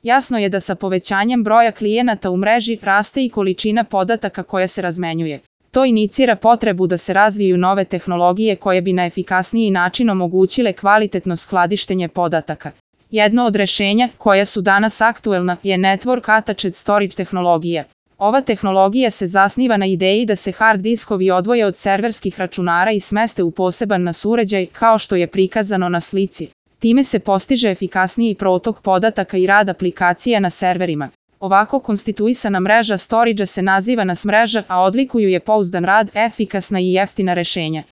Jasno je da sa povećanjem broja klijenata u mreži raste i količina podataka koja se razmenjuje. To inicira potrebu da se razviju nove tehnologije koje bi na efikasniji način omogućile kvalitetno skladištenje podataka. Jedno od rešenja, koja su danas aktuelna, je Network Attached Storage tehnologija. Ova tehnologija se zasniva na ideji da se hard diskovi odvoje od serverskih računara i smeste u poseban NAS uređaj, kao što je prikazano na slici. Time se postiže efikasniji protok podataka i rad aplikacija na serverima. Ovako konstituisana mreža storage se naziva NAS mreža, a odlikuju je pouzdan rad, efikasna i jeftina rešenja.